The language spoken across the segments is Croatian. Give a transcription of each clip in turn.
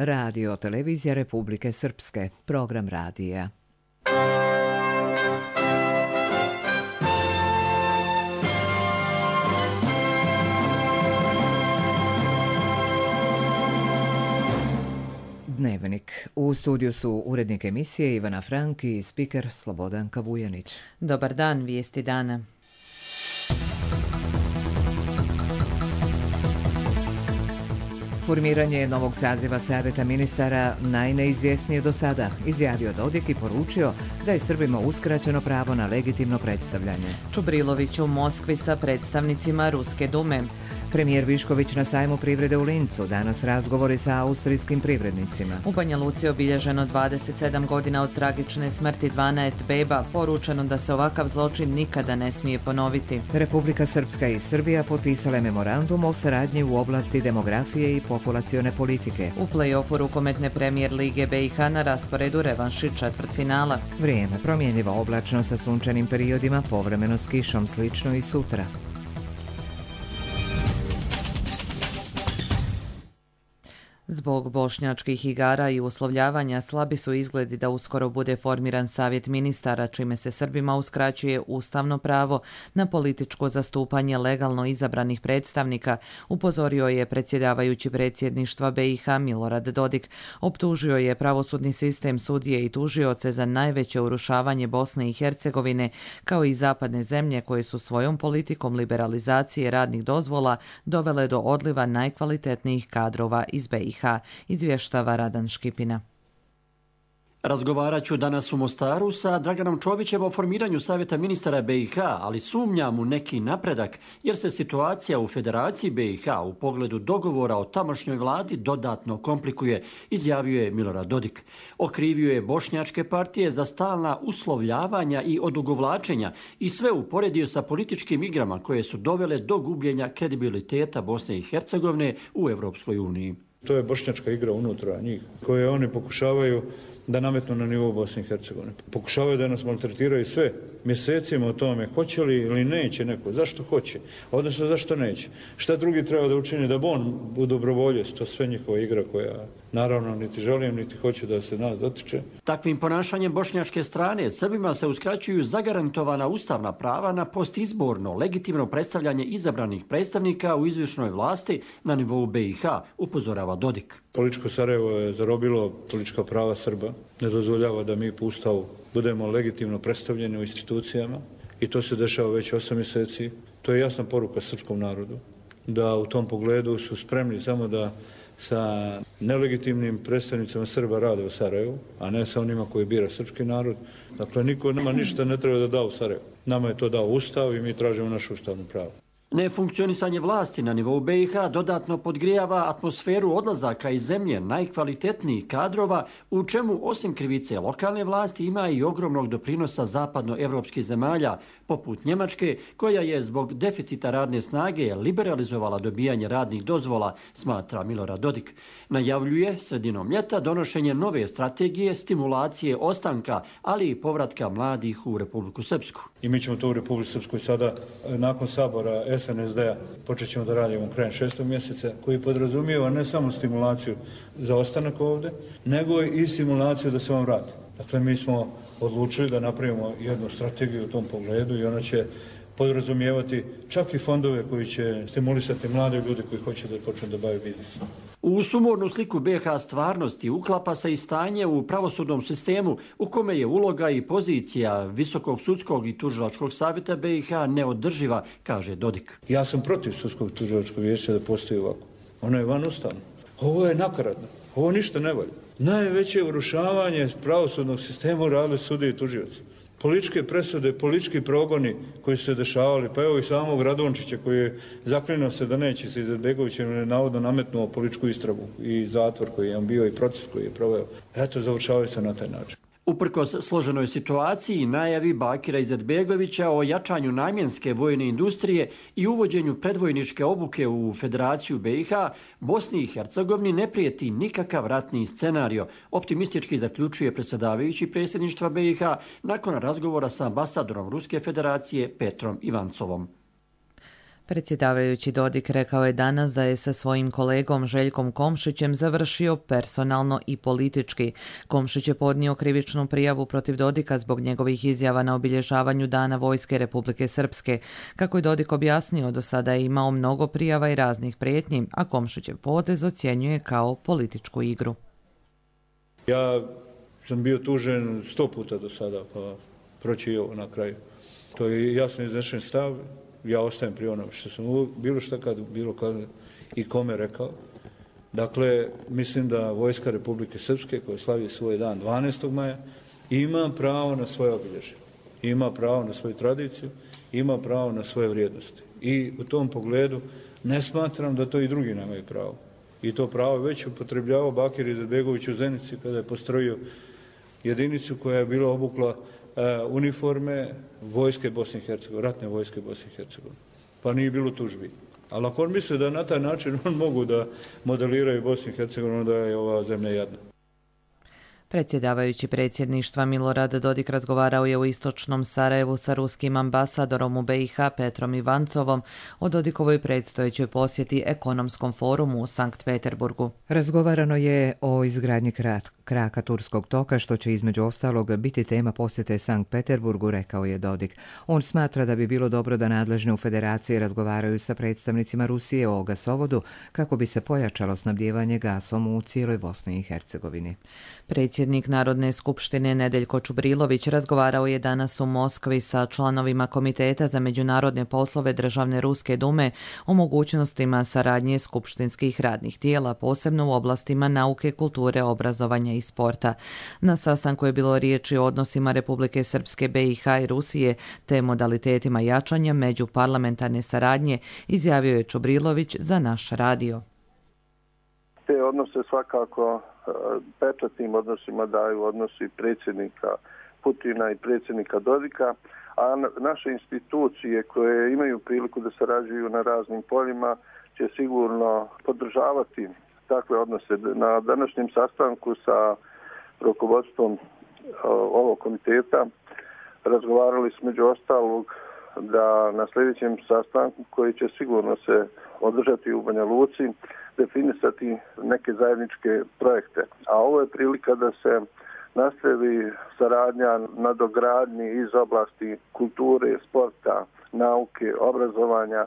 Radio Televizija Republike Srpske, program radija. Dnevnik. U studiju su urednik emisije Ivana Frank i spiker Slobodan Kavujanić. Dobar dan, vijesti dana. Formiranje novog saziva Saveta ministara najneizvjesnije do sada, izjavio Dodik i poručio da je Srbima uskraćeno pravo na legitimno predstavljanje. Čubrilović u Moskvi sa predstavnicima Ruske dume. Premijer Višković na sajmu privrede u Lincu, danas razgovori sa austrijskim privrednicima. U Banja Luci obilježeno 27 godina od tragične smrti 12 beba, poručeno da se ovakav zločin nikada ne smije ponoviti. Republika Srpska i Srbija potpisale memorandum o saradnji u oblasti demografije i populacione politike. U play-offu rukometne premijer Lige BiH na rasporedu revanši četvrtfinala. Vrijeme promjenjivo, oblačno sa sunčanim periodima, povremeno s kišom, slično i sutra. Zbog bošnjačkih igara i uslovljavanja slabi su izgledi da uskoro bude formiran savjet ministara, čime se Srbima uskraćuje ustavno pravo na političko zastupanje legalno izabranih predstavnika, upozorio je predsjedavajući predsjedništva BiH Milorad Dodik. Optužio je pravosudni sistem, sudije i tužioce za najveće urušavanje Bosne i Hercegovine, kao i zapadne zemlje koje su svojom politikom liberalizacije radnih dozvola dovele do odliva najkvalitetnijih kadrova iz BiH. Izvještava Radan Škipina. Razgovarat ću danas u Mostaru sa Draganom Čovićem o formiranju Savjeta ministara BiH, ali sumnjam u neki napredak jer se situacija u Federaciji BiH u pogledu dogovora o tamošnjoj vladi dodatno komplikuje, izjavio je Milorad Dodik. Okrivio je bošnjačke partije za stalna uslovljavanja i odugovlačenja i sve uporedio sa političkim igrama koje su dovele do gubljenja kredibiliteta Bosne i Hercegovine u Europskoj uniji. To je bošnjačka igra unutra njih, koje oni pokušavaju da nametnu na nivou Bosne i Hercegovine. Pokušavaju da nas maltretiraju sve mjesecima o tome hoće li ili neće neko, zašto hoće, odnosno zašto neće. Šta drugi treba da učini da on u dobrovolje, to sve njihova igra koja naravno niti želim, niti hoću da se nas dotiče. Takvim ponašanjem bošnjačke strane Srbima se uskraćuju zagarantovana ustavna prava na postizborno, legitimno predstavljanje izabranih predstavnika u izvršnoj vlasti na nivou BiH, upozorava Dodik. Političko Sarajevo je zarobilo politička prava Srba, ne dozvoljava da mi po Ustavu budemo legitimno predstavljeni u institucijama i to se dešava već 8 mjeseci. To je jasna poruka srpskom narodu, da u tom pogledu su spremni samo da sa nelegitimnim predstavnicama Srba rade u Sarajevu, a ne sa onima koji bira srpski narod. Dakle, niko nama ništa ne treba da da u Sarajevu. Nama je to dao Ustav i mi tražimo naše ustavno pravo. Nefunkcionisanje vlasti na nivou BiH dodatno podgrijava atmosferu odlazaka iz zemlje najkvalitetnijih kadrova, u čemu osim krivice lokalne vlasti ima i ogromnog doprinosa zapadnoevropskih zemalja, poput Njemačke, koja je zbog deficita radne snage liberalizovala dobijanje radnih dozvola, smatra Milorad Dodik. Najavljuje sredinom ljeta donošenje nove strategije stimulacije ostanka, ali i povratka mladih u Republiku Srpsku. I mi ćemo to u Republiku Srpskoj sada, nakon sabora SNSD-a, počet ćemo da radimo krajem 6. mjeseca, koji podrazumijeva ne samo stimulaciju za ostanak ovdje, nego i stimulaciju da se vam vrati. Dakle, mi smo odlučili da napravimo jednu strategiju u tom pogledu i ona će podrazumijevati čak i fondove koji će stimulisati mlade ljude koji hoće da počnu da bave biznisom. U sumornu sliku BiH stvarnosti uklapa se i stanje u pravosudnom sistemu u kome je uloga i pozicija Visokog sudskog i tužilačkog savjeta BiH neodrživa, kaže Dodik. Ja sam protiv sudskog tužilačkog vijeća da postoji ovako. Ono je van ustavno. Ovo je nakaradno. Ovo ništa ne valja. Najveće urušavanje pravosudnog sistema uradili sudije i tužioci. Političke presude, politički progoni koji su se dešavali, pa evo i samog Radončića koji je zaklinuo se da neće se Izetbegovićem navodno nametnuo političku istragu i zatvor koji je on bio i proces koji je proveo. Eto, završavaju se na taj način. Uprkos složenoj situaciji i najavi Bakira Izetbegovića o jačanju namjenske vojne industrije i uvođenju predvojničke obuke u Federaciju BiH, Bosni i Hercegovini ne prijeti nikakav ratni scenario, optimistički zaključuje predsjedavajući predsjedništva BiH nakon razgovora sa ambasadorom Ruske federacije Petrom Ivancovom. Predsjedavajući Dodik rekao je danas da je sa svojim kolegom Željkom Komšićem završio personalno i politički. Komšić je podnio krivičnu prijavu protiv Dodika zbog njegovih izjava na obilježavanju Dana vojske Republike Srpske. Kako je Dodik objasnio, do sada je imao mnogo prijava i raznih prijetnji, a Komšićev potez ocjenjuje kao političku igru. Ja sam bio tužen 100 puta do sada, pa proći i ovo na kraju. To je jasno iznešen stav. Ja ostajem pri onom što sam bilo šta kad i kome rekao. Dakle, mislim da vojska Republike Srpske, koja slavi svoj dan 12. maja, ima pravo na svoje obilježje, ima pravo na svoju tradiciju, ima pravo na svoje vrijednosti. I u tom pogledu ne smatram da to i drugi nemaju pravo. I to pravo već upotrebljavao Bakir Izetbegović u Zenici kada je postrojio jedinicu koja je bila obukla uniforme vojske Bosne i Hercegovine, ratne vojske Bosne i Hercegovine. Pa nije bilo tužbi. Ali ako on misli da na taj način on mogu da modeliraju Bosnu i Hercegovinu, da je ova zemlja jadna. Predsjedavajući predsjedništva Milorad Dodik razgovarao je u istočnom Sarajevu sa ruskim ambasadorom u BiH Petrom Ivancovom o Dodikovoj predstojećoj posjeti ekonomskom forumu u Sankt Peterburgu. Razgovarano je o izgradnji kraka Turskog toka, što će između ostalog biti tema posjete Sankt Peterburgu, rekao je Dodik. On smatra da bi bilo dobro da nadležne u federaciji razgovaraju sa predstavnicima Rusije o gasovodu kako bi se pojačalo snabdijevanje gasom u cijeloj Bosni i Hercegovini. Predsjednik Narodne skupštine Nedeljko Čubrilović razgovarao je danas u Moskvi sa članovima Komiteta za međunarodne poslove Državne Ruske dume o mogućnostima saradnje skupštinskih radnih tijela, posebno u oblastima nauke, kulture, obrazovanja i sporta. Na sastanku je bilo riječi o odnosima Republike Srpske, BiH i Rusije te modalitetima jačanja međuparlamentarne saradnje, izjavio je Čubrilović za naš radio. Te odnose svakako pečatnim odnosima daju odnosi predsjednika Putina i predsjednika Dodika, a naše institucije koje imaju priliku da sarađuju na raznim poljima će sigurno podržavati takve odnose. Na današnjem sastanku sa rukovodstvom ovog komiteta razgovarali smo među ostalog da na sljedećem sastanku, koji će sigurno se održati u Banja Luci, definisati neke zajedničke projekte. A ovo je prilika da se nastavi saradnja na dogradnji iz oblasti kulture, sporta, nauke, obrazovanja.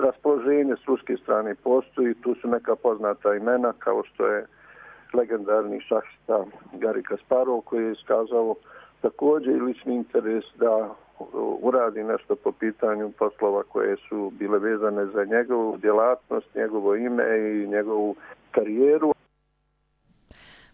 Raspoloženje s ruske strane postoji, tu su neka poznata imena kao što je legendarni šahista Gari Kasparov, koji je iskazao također i lični interes da uradi nešto po pitanju poslova koje su bile vezane za njegovu djelatnost, njegovo ime i njegovu karijeru.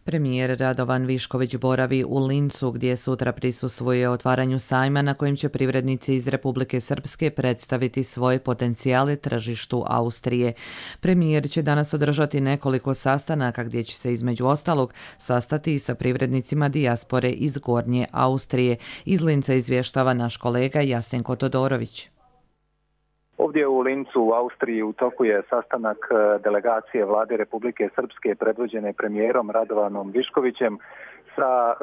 Premijer Radovan Višković boravi u Lincu, gdje sutra prisustvuje otvaranju sajma na kojem će privrednici iz Republike Srpske predstaviti svoje potencijale tržištu Austrije. Premijer će danas održati nekoliko sastanaka gdje će se između ostalog sastati i sa privrednicima dijaspore iz Gornje Austrije. Iz Linca izvještava naš kolega Jasenko Todorović. Ovdje u Lincu u Austriji u toku je sastanak delegacije Vlade Republike Srpske predvođene premijerom Radovanom Viškovićem sa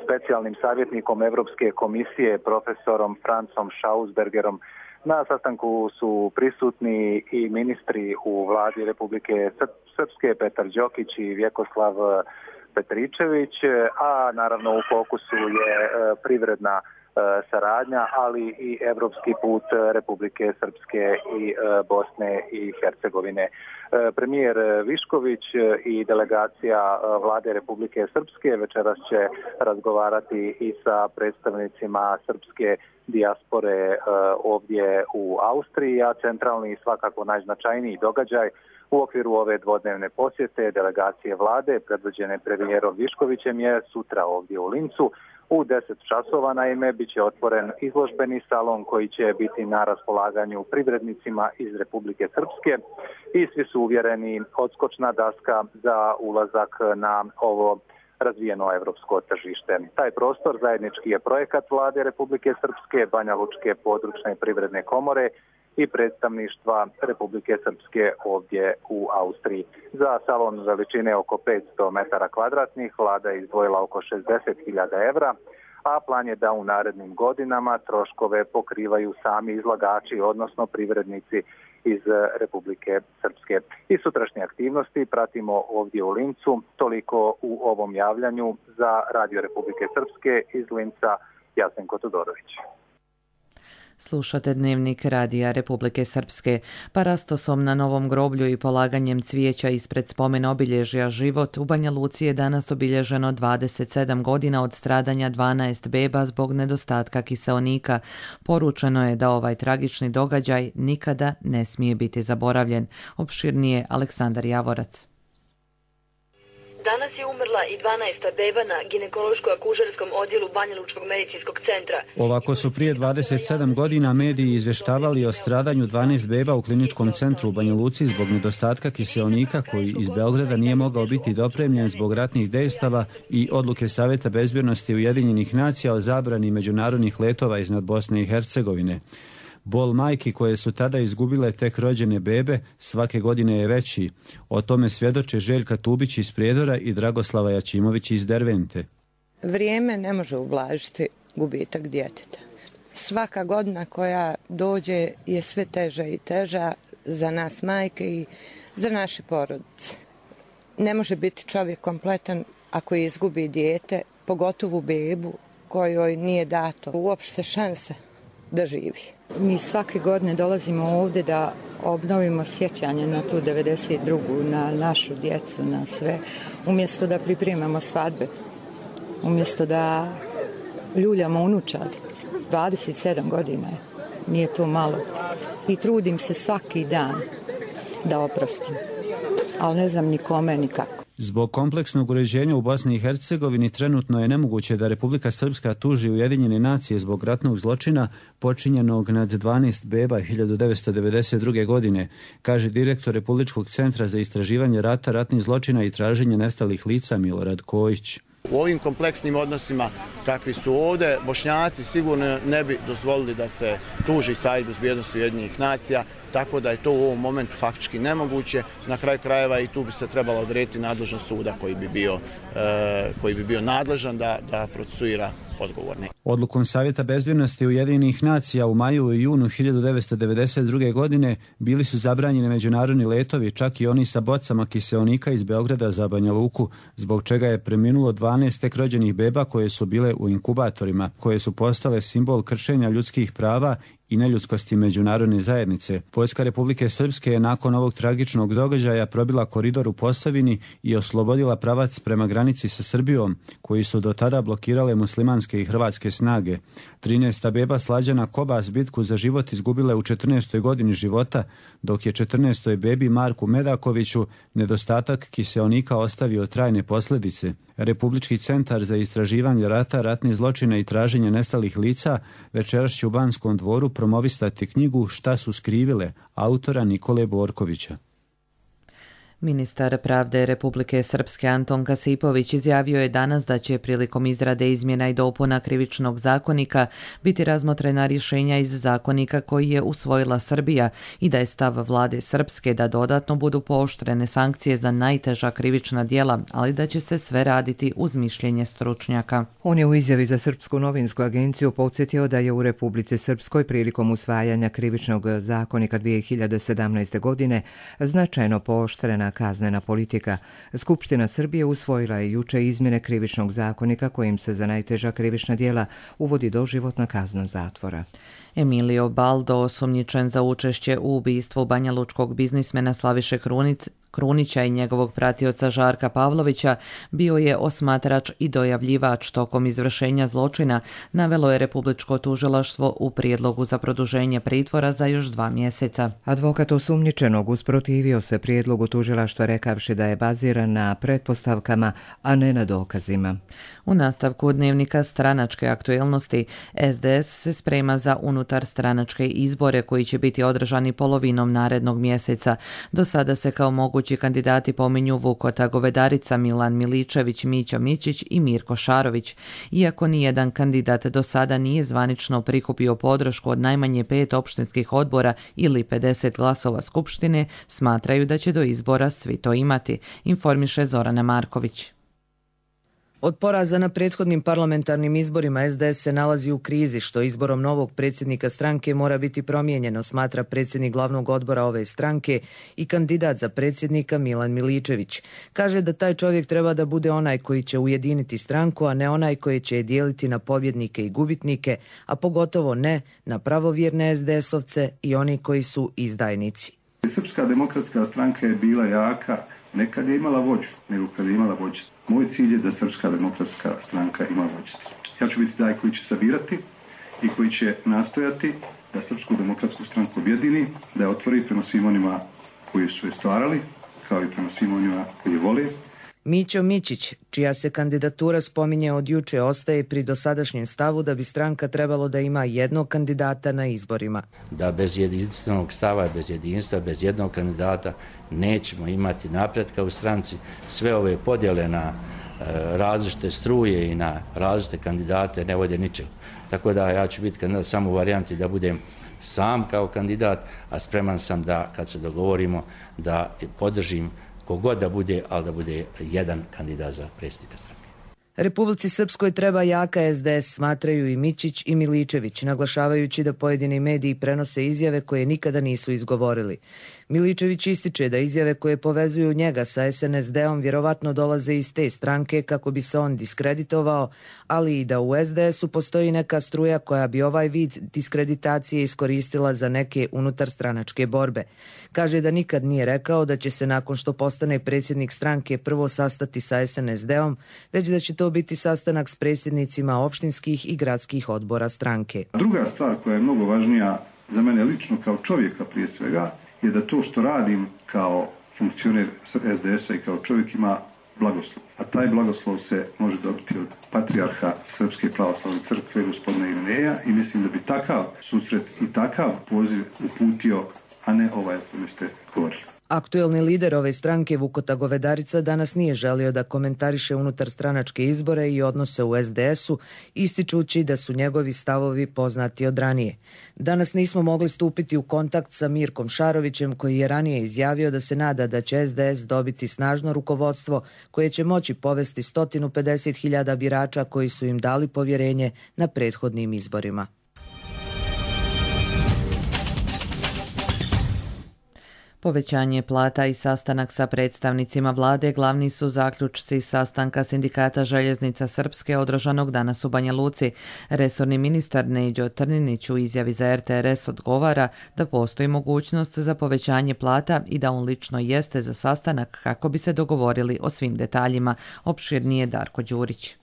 specijalnim savjetnikom Europske komisije profesorom Francom Schausbergerom. Na sastanku su prisutni i ministri u Vladi Republike Srpske Petar Đokić i Vjekoslav Petričević, a naravno u fokusu je privredna saradnja, ali i evropski put Republike Srpske i Bosne i Hercegovine. Premijer Višković i delegacija Vlade Republike Srpske večeras će razgovarati i sa predstavnicima srpske dijaspore ovdje u Austriji, a centralni i svakako najznačajniji događaj u okviru ove dvodnevne posjete delegacije Vlade predvođene premijerom Viškovićem je sutra ovdje u Lincu. U 10 časova naime bit će otvoren izložbeni salon koji će biti na raspolaganju privrednicima iz Republike Srpske i svi su uvjereni odskočna daska za ulazak na ovo razvijeno evropsko tržište. Taj prostor zajednički je projekat Vlade Republike Srpske, Banja Lučke područne privredne komore i predstavništva Republike Srpske ovdje u Austriji. Za salon veličine oko 500 metara kvadratnih vlada je izdvojila oko 60.000 evra, a plan je da u narednim godinama troškove pokrivaju sami izlagači, odnosno privrednici iz Republike Srpske. I sutrašnje aktivnosti pratimo ovdje u Lincu. Toliko u ovom javljanju. Za Radio Republike Srpske iz Linca, Jasenko Todorović. Slušate Dnevnik Radija Republike Srpske. Parastosom na Novom groblju i polaganjem cvijeća ispred spomen obilježja Život u Banja Luci je danas obilježeno 27 godina od stradanja 12 beba zbog nedostatka kiseonika. Poručeno je da ovaj tragični događaj nikada ne smije biti zaboravljen. Opširnije Aleksandar Javorac. Danas je umrla i 12. beba na ginekološko-akušerskom odjelu Banjalučkog medicinskog centra. Ovako su prije 27 godina mediji izvještavali o stradanju 12 beba u kliničkom centru u Banja Luci zbog nedostatka kiseonika koji iz Beograda nije mogao biti dopremljen zbog ratnih dejstava i odluke Savjeta bezbjednosti Ujedinjenih nacija o zabrani međunarodnih letova iznad Bosne i Hercegovine. Bol majki koje su tada izgubile tek rođene bebe svake godine je veći. O tome svjedoče Željka Tubić iz Prijedora i Dragoslava Jačimović iz Dervente. Vrijeme ne može ublažiti gubitak djeteta. Svaka godina koja dođe je sve teža i teža za nas majke i za naše porodice. Ne može biti čovjek kompletan ako izgubi dijete, pogotovo bebu kojoj nije dato uopšte šanse da živi. Mi svake godine dolazimo ovdje da obnovimo sjećanje na tu 92. na našu djecu, na sve, umjesto da pripremamo svadbe, umjesto da ljuljamo unučad. 27 godina je, nije to malo. I trudim se svaki dan da oprostim, ali ne znam ni kome, ni kako. Zbog kompleksnog uređenja u Bosni i Hercegovini trenutno je nemoguće da Republika Srpska tuži Ujedinjene nacije zbog ratnog zločina počinjenog nad 12 beba 1992. godine, kaže direktor Republičkog centra za istraživanje rata, ratnih zločina i traženje nestalih lica Milorad Kojić. U ovim kompleksnim odnosima kakvi su ovdje, Bošnjaci sigurno ne bi dozvolili da se tuži Savjet bezbjednosti Ujedinjenih nacija, tako da je to u ovom momentu faktički nemoguće. Na kraju krajeva i tu bi se trebalo odrediti nadležnost suda koji bi bio nadležan da procesuira odgovorne. Odlukom Savjeta bezbjednosti Ujedinjenih nacija u maju i junu 1992. godine bili su zabranjeni međunarodni letovi, čak i oni sa bocama kiseonika iz Beograda za Banja Luku, zbog čega je preminulo 12 tek rođenih beba koje su bile u inkubatorima, koje su postale simbol kršenja ljudskih prava i neljudskosti međunarodne zajednice. Vojska Republike Srpske je nakon ovog tragičnog događaja probila koridor u Posavini i oslobodila pravac prema granici sa Srbijom, koji su do tada blokirale muslimanske i hrvatske snage. 13. beba Slađana Kobas bitku za život izgubile u 14. godini života, dok je 14. bebi Marku Medakoviću nedostatak kiseonika ostavio trajne posljedice. Republički centar za istraživanje rata, ratnih zločina i traženje nestalih lica večeras će u Banskom dvoru promovisati knjigu Šta su skrivile, autora Nikole Borkovića. Ministar pravde Republike Srpske Anton Kasipović izjavio je danas da će prilikom izrade izmjena i dopuna Krivičnog zakonika biti razmotrena rješenja iz zakonika koji je usvojila Srbija i da je stav vlade Srpske da dodatno budu pooštrene sankcije za najteža krivična djela, ali da će se sve raditi uz mišljenje stručnjaka. On je u izjavi za Srpsku novinsku agenciju podsjetio da je u Republici Srpskoj prilikom usvajanja Krivičnog zakonika 2017. godine značajno pooštrena kaznena politika. Skupština Srbije usvojila je juče izmjene Krivičnog zakonika kojim se za najteža krivična djela uvodi doživotna kazna zatvora. Emilio Baldo, osumnjičen za učešće u ubistvu banjalučkog biznismena Slaviše Krunića i njegovog pratioca Žarka Pavlovića, bio je osmatrač i dojavljivač tokom izvršenja zločina, navelo je Republičko tužilaštvo u prijedlogu za produženje pritvora za još 2 mjeseca. Advokat osumnjičenog usprotivio se prijedlogu tužilaštva rekavši da je baziran na pretpostavkama, a ne na dokazima. U nastavku dnevnika stranačke aktuelnosti, SDS se sprema za unutar stranačke izbore koji će biti održani polovinom narednog mjeseca. Do sada se kao mogući kandidati pominju Vukota Govedarica, Milan Miličević, Mićo Mićić i Mirko Šarović. Iako nijedan kandidat do sada nije zvanično prikupio podršku od najmanje 5 opštinskih odbora ili 50 glasova Skupštine, smatraju da će do izbora svi to imati, informiše Zorana Marković. Od poraza na prethodnim parlamentarnim izborima SDS se nalazi u krizi, što izborom novog predsjednika stranke mora biti promijenjeno, smatra predsjednik glavnog odbora ove stranke i kandidat za predsjednika Milan Miličević. Kaže da taj čovjek treba da bude onaj koji će ujediniti stranku, a ne onaj koji će je dijeliti na pobjednike i gubitnike, a pogotovo ne na pravovjerne SDS-ovce i oni koji su izdajnici. Srpska demokratska stranka je bila jaka ne kad je imala vođu, nego kad je imala vođstvo. Moj cilj je da Srpska demokratska stranka ima vođstvo. Ja ću biti taj koji će sabirati i koji će nastojati da Srpsku demokratsku stranku objedini, da je otvori prema svim onima koji su je stvarali, kao i prema svim onima koji je vole. Mićo Mićić, čija se kandidatura spominje od juče, ostaje pri dosadašnjem stavu da bi stranka trebalo da ima jednog kandidata na izborima. Da bez jedinstvenog stava, bez jedinstva, bez jednog kandidata nećemo imati napretka u stranci. Sve ove podjele na različite struje i na različite kandidate ne vode ničemu. Tako da ja ću biti kandidat samo u varijanti da budem sam kao kandidat, a spreman sam da kad se dogovorimo da podržim kogod da bude, ali da bude jedan kandidat za predsjednika stranke. Republici Srpskoj treba jaka SDS, smatraju i Mićić i Miličević, naglašavajući da pojedini mediji prenose izjave koje nikada nisu izgovorili. Miličević ističe da izjave koje povezuju njega sa SNSD-om vjerovatno dolaze iz te stranke kako bi se on diskreditovao, ali i da u SDS-u postoji neka struja koja bi ovaj vid diskreditacije iskoristila za neke unutarstranačke borbe. Kaže da nikad nije rekao da će se nakon što postane predsjednik stranke prvo sastati sa SNSD-om, već da će to biti sastanak s predsjednicima opštinskih i gradskih odbora stranke. Druga stvar koja je mnogo važnija za mene lično kao čovjeka prije svega je da to što radim kao funkcioner SDS-a i kao čovjek ima blagoslov. A taj blagoslov se može dobiti od patrijarha Srpske pravoslavne crkve gospodina Irineja i mislim da bi takav susret i takav poziv uputio, a ne ovaj o kome ste govorili. Aktuelni lider ove stranke Vukota Govedarica danas nije želio da komentariše unutar stranačke izbore i odnose u SDS-u, ističući da su njegovi stavovi poznati od ranije. Danas nismo mogli stupiti u kontakt sa Mirkom Šarovićem, koji je ranije izjavio da se nada da će SDS dobiti snažno rukovodstvo koje će moći povesti 150.000 birača koji su im dali povjerenje na prethodnim izborima. Povećanje plata i sastanak sa predstavnicima vlade glavni su zaključci sastanka Sindikata željeznica Srpske održanog danas u Banja Luci. Resorni ministar Neđo Trninić u izjavi za RTRS odgovara da postoji mogućnost za povećanje plata i da on lično jeste za sastanak kako bi se dogovorili o svim detaljima. Opširnije Darko Đurić.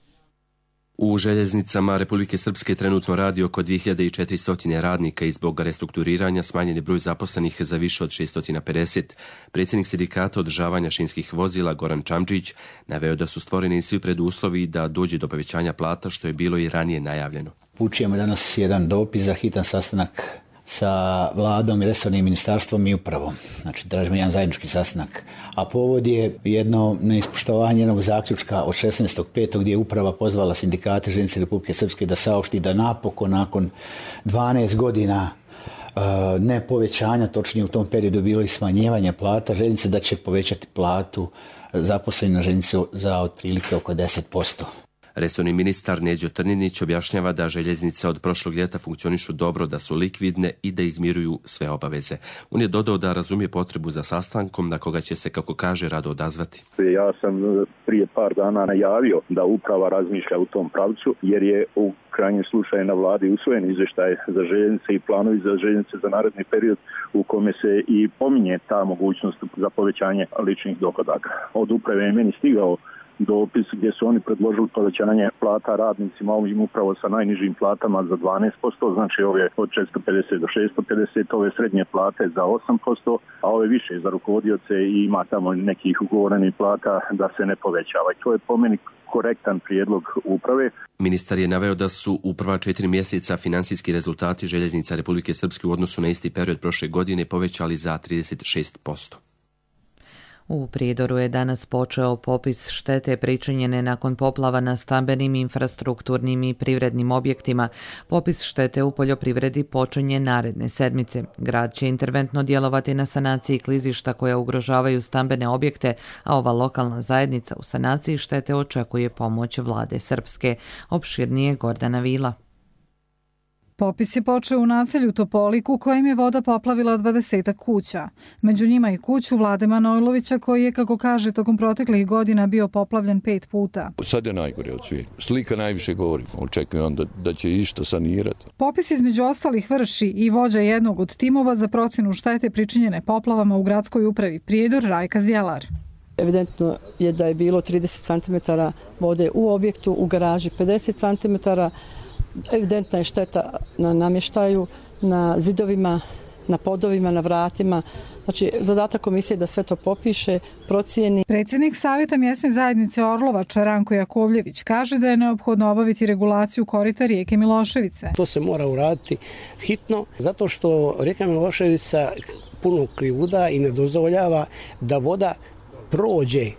U željeznicama Republike Srpske trenutno radi oko 2400 radnika i zbog restrukturiranja smanjen je broj zaposlenih za više od 650. Predsjednik sindikata održavanja šinskih vozila Goran Čamđić naveo da su stvoreni svi preduslovi da dođe do povećanja plata, što je bilo i ranije najavljeno. Upućujemo danas jedan dopis za hitan sastanak sa vladom i resornim ministarstvom i upravom. Znači, tražimo jedan zajednički sastanak. A povod je jedno neispoštovanje jednog zaključka od 16.5. gdje je uprava pozvala sindikate željeznice Republike Srpske da saopšti da napokon nakon 12 godina ne povećanja, točnije u tom periodu bilo i smanjivanje plata željeznice, da će povećati platu zaposlenih na željeznici za otprilike oko 10%. Resorni ministar Neđo Trninić objašnjava da željeznice od prošlog ljeta funkcionišu dobro, da su likvidne i da izmiruju sve obaveze. On je dodao da razumije potrebu za sastankom na koga će se, kako kaže, rado odazvati. Ja sam prije par dana najavio da uprava razmišlja u tom pravcu, jer je u krajnjem slučaju na vladi usvojen izvještaj za željeznice i planovi za željeznice za naredni period u kome se i pominje ta mogućnost za povećanje ličnih dohodaka. Od uprave je meni stigao dopis gdje su oni predložili povećanje plata radnicima ovim upravo sa najnižim platama za 12%, znači ove od 450 do 650, ove srednje plate za 8%, a ove više za rukovodioce i ima tamo nekih ugovorenih plata da se ne povećava. I to je po meni korektan prijedlog uprave. Ministar je naveo da su u prva 4 mjeseca finansijski rezultati željeznica Republike Srpske u odnosu na isti period prošle godine povećali za 36%. U Prijedoru je danas počeo popis štete pričinjene nakon poplava na stambenim, infrastrukturnim i privrednim objektima. Popis štete u poljoprivredi počinje naredne sedmice. Grad će interventno djelovati na sanaciji klizišta koja ugrožavaju stambene objekte, a ova lokalna zajednica u sanaciji štete očekuje pomoć vlade Srpske. Opširnije Gordana Vila. Popis je počeo u naselju Topolik u kojem je voda poplavila 20 kuća. Među njima i kuću Vlade Manojlovića koji je, kako kaže, tokom proteklih godina bio poplavljen 5 puta. Sad je najgore od svih. Slika najviše govori. Očekujem da će išta sanirati. Popis između ostalih vrši i vođa jednog od timova za procjenu štete pričinjene poplavama u gradskoj upravi Prijedor, Rajka Zdjelar. Evidentno je da je bilo 30 cm vode u objektu, u garaži 50 cm. Evidentna je šteta na namještaju, na zidovima, na podovima, na vratima. Znači, zadatak komisije je da sve to popiše, procijeni. Predsjednik Savjeta mjesne zajednice Orlovača Ranko Jakovljević kaže da je neophodno obaviti regulaciju korita rijeke Miloševice. To se mora uraditi hitno, zato što rijeka Miloševica puno krivuda i ne dozvoljava da voda prođe,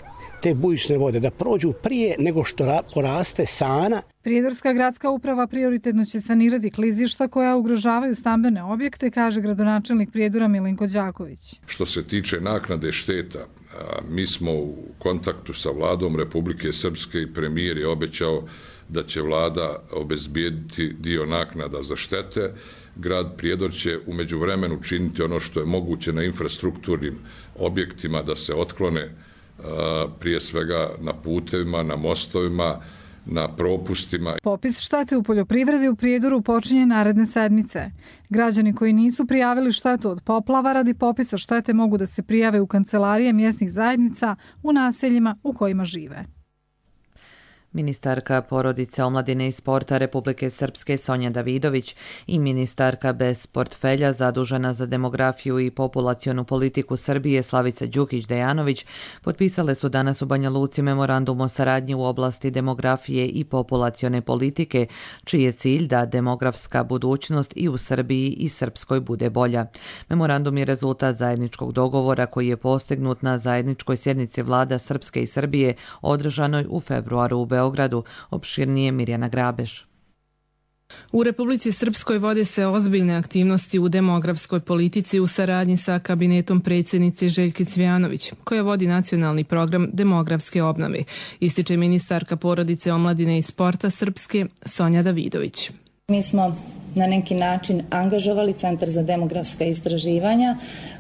te bujične vode, da prođu prije nego što poraste sana. Prijedorska gradska uprava prioritetno će sanirati klizišta koja ugrožavaju stambene objekte, kaže gradonačelnik Prijedora Milenko Đaković. Što se tiče naknade šteta, mi smo u kontaktu sa vladom Republike Srpske i premijer je obećao da će vlada obezbijediti dio naknada za štete. Grad Prijedor će u međuvremenu činiti ono što je moguće na infrastrukturnim objektima da se otklone prije svega na putevima, na mostovima, na propustima. Popis štete u poljoprivredi u Prijedoru počinje naredne sedmice. Građani koji nisu prijavili štetu od poplava radi popisa štete mogu da se prijave u kancelarije mjesnih zajednica u naseljima u kojima žive. Ministarka porodice, omladine i sporta Republike Srpske Sonja Davidović i ministarka bez portfelja zadužena za demografiju i populacionu politiku Srbije Slavica Đukić-Dejanović potpisale su danas u Banja Luci memorandum o saradnji u oblasti demografije i populacione politike, čiji je cilj da demografska budućnost i u Srbiji i Srpskoj bude bolja. Memorandum je rezultat zajedničkog dogovora koji je postignut na zajedničkoj sjednici vlada Srpske i Srbije održanoj u februaru u Beogradu. Opširnije Mirjana Grabeš. U Republici Srpskoj vode se ozbiljne aktivnosti u demografskoj politici u saradnji sa kabinetom predsjednice Željke Cvijanović, koja vodi nacionalni program demografske obnove, ističe ministarka porodice, omladine i sporta Srpske Sonja Davidović. Mi smo na neki način angažovali Centar za demografska istraživanja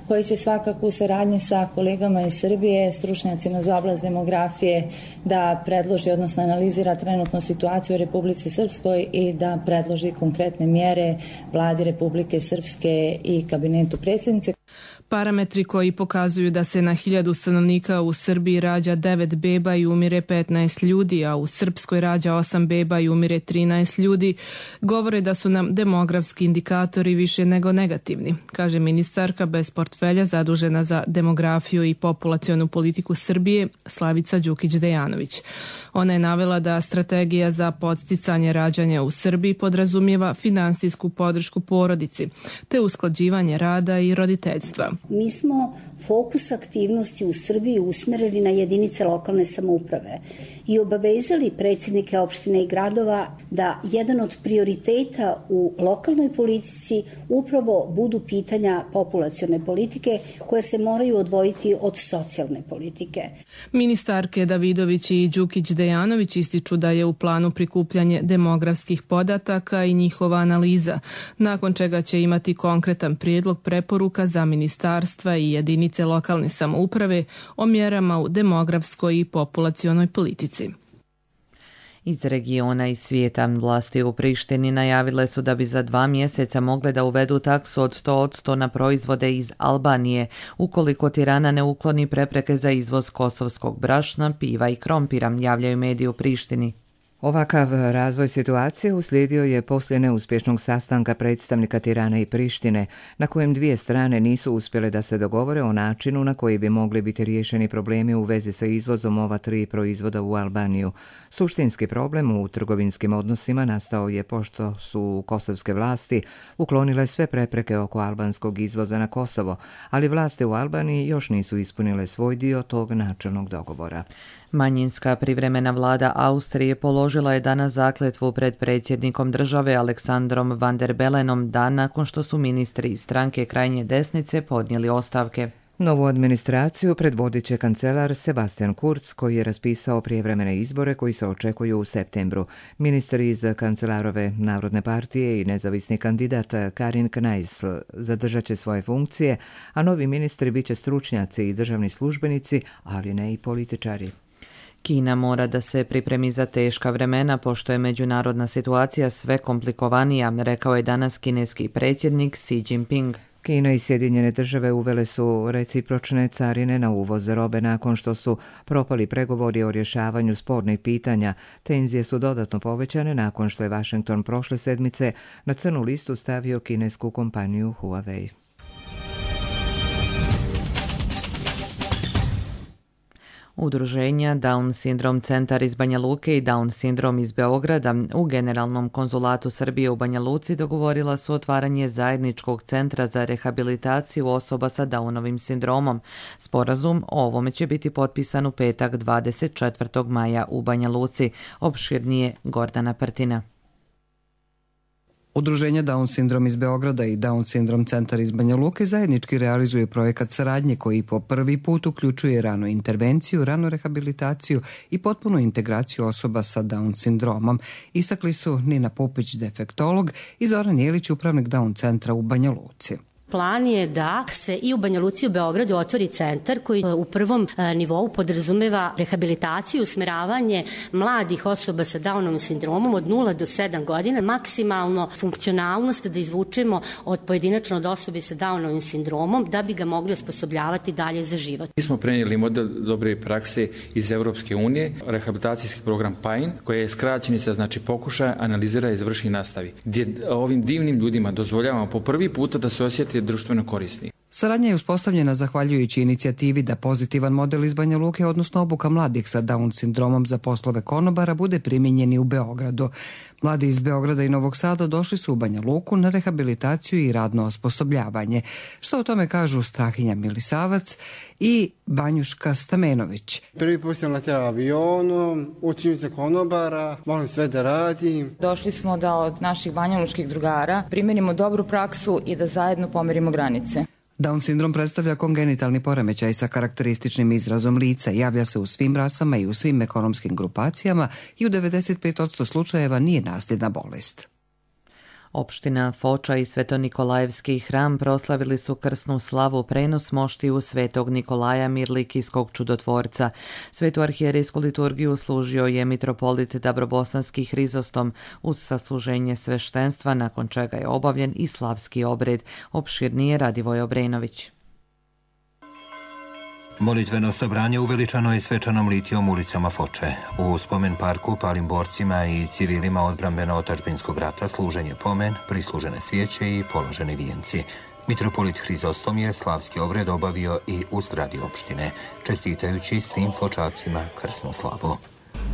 koji će svakako u saradnji sa kolegama iz Srbije, stručnjacima za oblast demografije da predloži, odnosno analizira trenutnu situaciju u Republici Srpskoj i da predloži konkretne mjere vladi Republike Srpske i kabinetu predsjednice. Parametri koji pokazuju da se na 1000 stanovnika u Srbiji rađa 9 beba i umire 15 ljudi, a u Srpskoj rađa 8 beba i umire 13 ljudi, govore da su nam demografski indikatori više nego negativni, kaže ministarka bez portfelja zadužena za demografiju i populacionu politiku Srbije Slavica Đukić-Dejanović. Ona je navela da strategija za podsticanje rađanja u Srbiji podrazumijeva finansijsku podršku porodici, te usklađivanje rada i roditeljstva. Mi smo fokus aktivnosti u Srbiji usmjerili na jedinice lokalne samouprave i obavezali predsjednike opštine i gradova da jedan od prioriteta u lokalnoj politici upravo budu pitanja populacione politike koje se moraju odvojiti od socijalne politike. Ministarke Davidović i Đukić-Dejanović ističu da je u planu prikupljanje demografskih podataka i njihova analiza, nakon čega će imati konkretan prijedlog preporuka za ministarstva i jedinice lokalne samouprave o mjerama u demografskoj i populacionoj politici. Iz regiona i svijeta vlasti u Prištini najavile su da bi za 2 mjeseca mogle da uvedu taksu od 100% na proizvode iz Albanije, ukoliko Tirana ne ukloni prepreke za izvoz kosovskog brašna, piva i krompira, javljaju mediji u Prištini. Ovakav razvoj situacije uslijedio je poslije neuspješnog sastanka predstavnika Tirane i Prištine, na kojem dvije strane nisu uspjele da se dogovore o načinu na koji bi mogli biti riješeni problemi u vezi sa izvozom ova tri proizvoda u Albaniju. Suštinski problem u trgovinskim odnosima nastao je pošto su kosovske vlasti uklonile sve prepreke oko albanskog izvoza na Kosovo, ali vlasti u Albaniji još nisu ispunile svoj dio tog načelnog dogovora. Manjinska privremena vlada Austrije položila je danas zakletvu pred predsjednikom države Aleksandrom Van der Bellenom dan nakon što su ministri iz stranke krajnje desnice podnijeli ostavke. Novu administraciju predvodit će kancelar Sebastian Kurz, koji je raspisao prijevremene izbore koji se očekuju u septembru. Ministri iz kancelarove Narodne partije i nezavisni kandidat Karin Kneissl zadržat će svoje funkcije, a novi ministri bit će stručnjaci i državni službenici, ali ne i političari. Kina mora da se pripremi za teška vremena pošto je međunarodna situacija sve komplikovanija, rekao je danas kineski predsjednik Xi Jinping. Kina i Sjedinjene države uvele su recipročne carine na uvoz robe nakon što su propali pregovori o rješavanju spornih pitanja. Tenzije su dodatno povećane nakon što je Washington prošle sedmice na crnu listu stavio kinesku kompaniju Huawei. Udruženja Down Syndrome centar iz Banja Luke i Down Syndrome iz Beograda u Generalnom konzulatu Srbije u Banja Luci dogovorila su otvaranje zajedničkog centra za rehabilitaciju osoba sa Downovim sindromom. Sporazum o ovome će biti potpisan u petak 24. maja u Banja Luci. Opširnije Gordana Prtina. Udruženje Down Syndrome iz Beograda i Down Syndrome centar iz Banja Luke zajednički realizuje projekat saradnje koji po prvi put uključuje ranu intervenciju, ranu rehabilitaciju i potpunu integraciju osoba sa Down sindromom. Istakli su Nina Pupić, defektolog, i Zoran Jelić, upravnik Down centra u Banja Luci. Plan je da se i u Banja Luci i u Beogradu otvori centar koji u prvom nivou podrazumeva rehabilitaciju i usmeravanje mladih osoba sa Downovim sindromom od 0 do 7 godina, maksimalno funkcionalnost da izvučemo od pojedinačno od osobe sa Downovim sindromom da bi ga mogli osposobljavati dalje za život. Mi smo prenijeli model dobre prakse iz Europske unije, rehabilitacijski program PAIN, koji je skraćenica, znači pokušaja, analizira, izvrši i nastavi, gdje ovim divnim ljudima dozvoljavamo po prvi puta da se osjeti društveno korisni. Saradnja je uspostavljena zahvaljujući inicijativi da pozitivan model iz Banja Luke, odnosno obuka mladih sa Down sindromom za poslove konobara, bude primijenjeni u Beogradu. Mladi iz Beograda i Novog Sada došli su u Banja Luku na rehabilitaciju i radno osposobljavanje. Što o tome kažu Strahinja Milisavac i Banjuška Stamenović. Prvi put sam letela avionom, učim se konobara, volim sve da radim. Došli smo da od naših banjalučkih drugara primenimo dobru praksu i da zajedno pomerimo granice. Down sindrom predstavlja kongenitalni poremećaj sa karakterističnim izrazom lica, javlja se u svim rasama i u svim ekonomskim grupacijama i u 95% slučajeva nije nasljedna bolest. Opština Foča i Svetonikolajevski hram proslavili su krsnu slavu prenos moštiju Svetog Nikolaja Mirlikijskog čudotvorca. Svetu arhijerejsku liturgiju služio je mitropolit Dabrobosanski Hrizostom uz sasluženje sveštenstva, nakon čega je obavljen i slavski obred. Opširnije Radivoj Obrenović. Molitveno sabranje uveličano je svečanom litijom ulicama Foče. U spomen parku palim borcima i civilima odbrambeno-otačbinskog rata služen je pomen, prislužene svijeće i položeni vijenci. Mitropolit Hrizostom je slavski obred obavio i u zgradi opštine, čestitajući svim Fočacima krsnu slavu.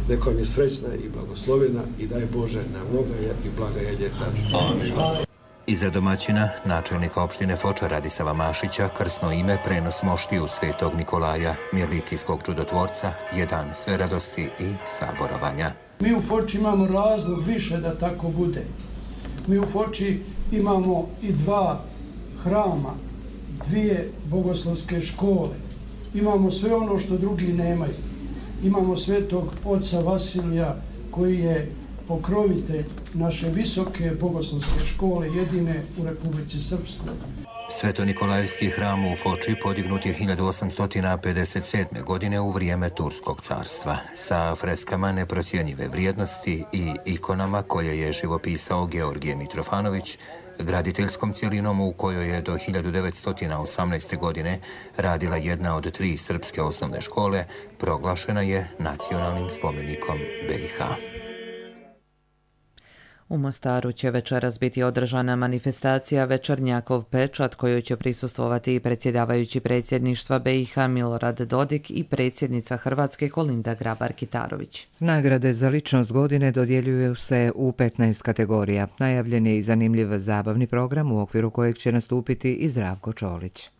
Neka vam je srećna i blagoslovena i daj Bože na mnoga i blaga ljeta. Amin. Iza domaćina, načelnika opštine Foča Radisava Mašića, krsno ime prenos moštiju Svetog Nikolaja Mirlikijskog čudotvorca je dan sve radosti i saborovanja. Mi u Foči imamo razlog više da tako bude. Mi u Foči imamo i 2 hrama, 2 bogoslovske škole. Imamo sve ono što drugi nemaju. Imamo Svetog oca Vasilija koji je pokrovitelj naše visoke bogoslovske škole, jedine u Republici Srpskoj. Svetonikolajevski hram u Foči podignut je 1857. godine u vrijeme Turskog carstva, sa freskama neprocjenjive vrijednosti i ikonama koje je živopisao Georgije Mitrofanović, graditeljskom cjelinom u kojoj je do 1918. godine radila jedna od 3 srpske osnovne škole, proglašena je nacionalnim spomenikom BiH. U Mostaru će večeras biti održana manifestacija Večernjakov pečat kojoj će prisustvovati i predsjedavajući predsjedništva BiH Milorad Dodik i predsjednica Hrvatske Kolinda Grabar-Kitarović. Nagrade za ličnost godine dodjeljuju se u 15 kategorija. Najavljen je i zanimljiv zabavni program u okviru kojeg će nastupiti i Zdravko Čolić.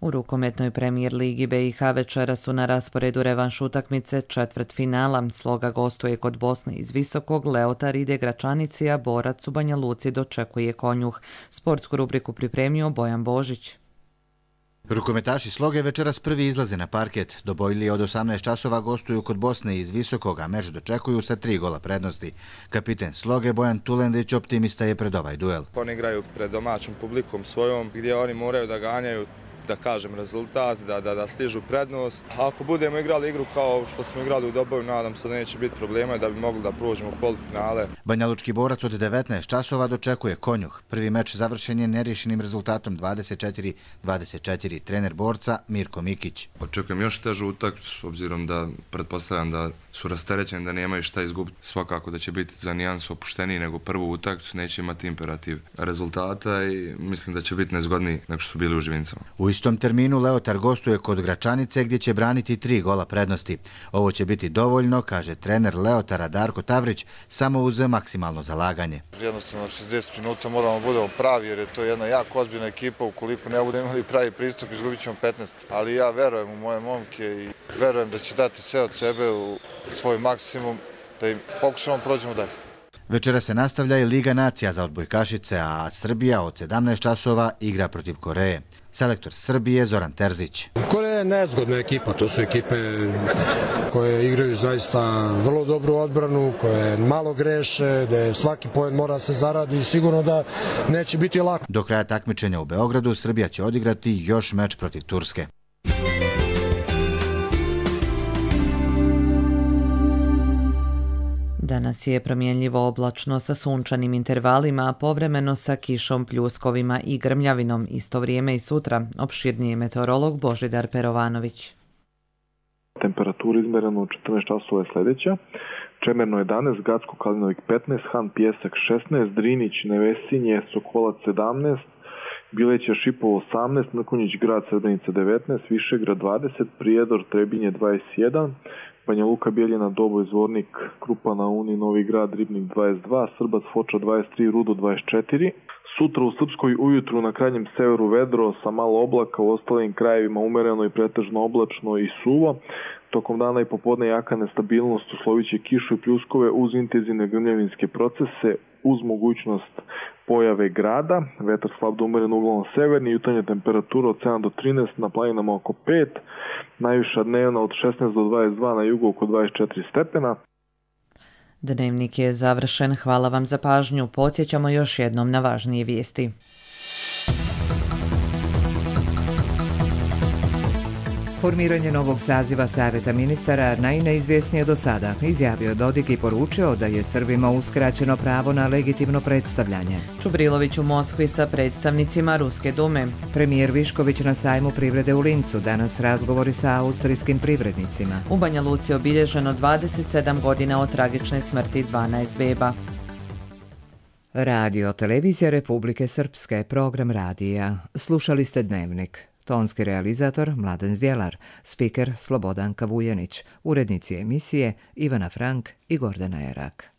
U rukometnoj premijer ligi BiH večera su na rasporedu revanš utakmice četvrtfinala. Sloga gostuje kod Bosne iz Visokog, Leotar ide Gračanici, a Borac u Banja Luci dočekuje Konjuh. Sportsku rubriku pripremio Bojan Božić. Rukometaši Sloge večeras prvi izlaze na parket. Dobojlije od 18 časova gostuju kod Bosne iz Visokog, a meč dočekuju sa 3 gola prednosti. Kapiten Sloge Bojan Tulendić optimista je pred ovaj duel. Oni igraju pred domaćom publikom svojom, gdje oni moraju da ganjaju, da kažem, rezultat, da stižu prednost. Ako budemo igrali igru kao što smo igrali u Doboju, nadam se da neće biti problema i da bi mogli da prođemo u polufinale. Banjalučki Borac od 19 časova dočekuje Konjuh. Prvi meč završen je nerješenim rezultatom 24-24. Trener Borca Mirko Mikić. Očekujem još težu utakmicu, obzirom da pretpostavljam da su rasterećeni, da nemaju šta izgubiti. Svakako da će biti za nijansu opušteniji nego prvu utakmicu, neće imati imperativ rezultata i mislim da će biti nezgodniji nego što su bili u Živincama. U istom terminu Leotar gostuje kod Gračanice gdje će braniti 3 gola prednosti. Ovo će biti dovoljno, kaže trener Leotara Darko Tavrić, samo uz maksimalno zalaganje. Jednostavno 60 minuta moramo budemo pravi jer je to jedna jako ozbiljna ekipa. Ukoliko ne budemo imali pravi pristup, izgubit ćemo 15. Ali ja verujem u moje momke i verujem da će dati sve od sebe u svoj maksimum, da im pokušamo prođemo dalje. Večera se nastavlja i Liga nacija za odbojkašice, a Srbija od 17 časova igra protiv Koreje. Selektor Srbije Zoran Terzić. Koreja je nezgodna ekipa, to su ekipe koje igraju zaista vrlo dobru odbranu, koje malo greše, da svaki poen mora se zaradi i sigurno da neće biti lako. Do kraja takmičenja u Beogradu Srbija će odigrati još meč protiv Turske. Danas je promjenljivo oblačno sa sunčanim intervalima, a povremeno sa kišom, pljuskovima i grmljavinom. Isto vrijeme i sutra, opširniji meteorolog Božidar Perovanović. Temperatura izmerena u 14 časova je sljedeća. Čemerno 11, Gacko Kalinovik 15, Han Pijesak 16, Drinić, Nevesinje, Sokolac 17, Bileća Šipovo 18, Mrkonjić Grad Srebrenica 19, Višegrad 20, Prijedor Trebinje 21, Banja Luka, Bijeljina, Doboj, Zvornik, Krupa na Uni, Novi Grad, Ribnik 22, Srbac, Foča 23, Rudo 24. Sutra u Srpskoj ujutru na krajnjem severu vedro sa malo oblaka, u ostalim krajevima umereno i pretežno oblačno i suvo. Tokom dana i popodne jaka nestabilnost, uslovit će kišu i pljuskove uz intenzivne grmljavinske procese, uz mogućnost pojave grada, vetar slab do umeren uglavnom severni, jutarnja temperatura od 7 do 13, na planinama oko 5, najviša dnevna od 16 do 22, na jugu oko 24 stepena. Dnevnik je završen, hvala vam za pažnju, podsjećamo još jednom na važnije vijesti. Formiranje novog saziva Savjeta ministara najneizvjesnije do sada, izjavio Dodik i poručio da je Srbima uskraćeno pravo na legitimno predstavljanje. Čubrilović u Moskvi sa predstavnicima Ruske dume. Premijer Višković na sajmu privrede u Lincu, danas razgovori sa austrijskim privrednicima. U Banja Luci obilježeno 27 godina od tragične smrti 12 beba. Radio Televizija Republike Srpske, program radija. Slušali ste Dnevnik. Tonski realizator Mladen Zdjelar, spiker Slobodanka Vujanić, urednici emisije Ivana Frank i Gordana Erak.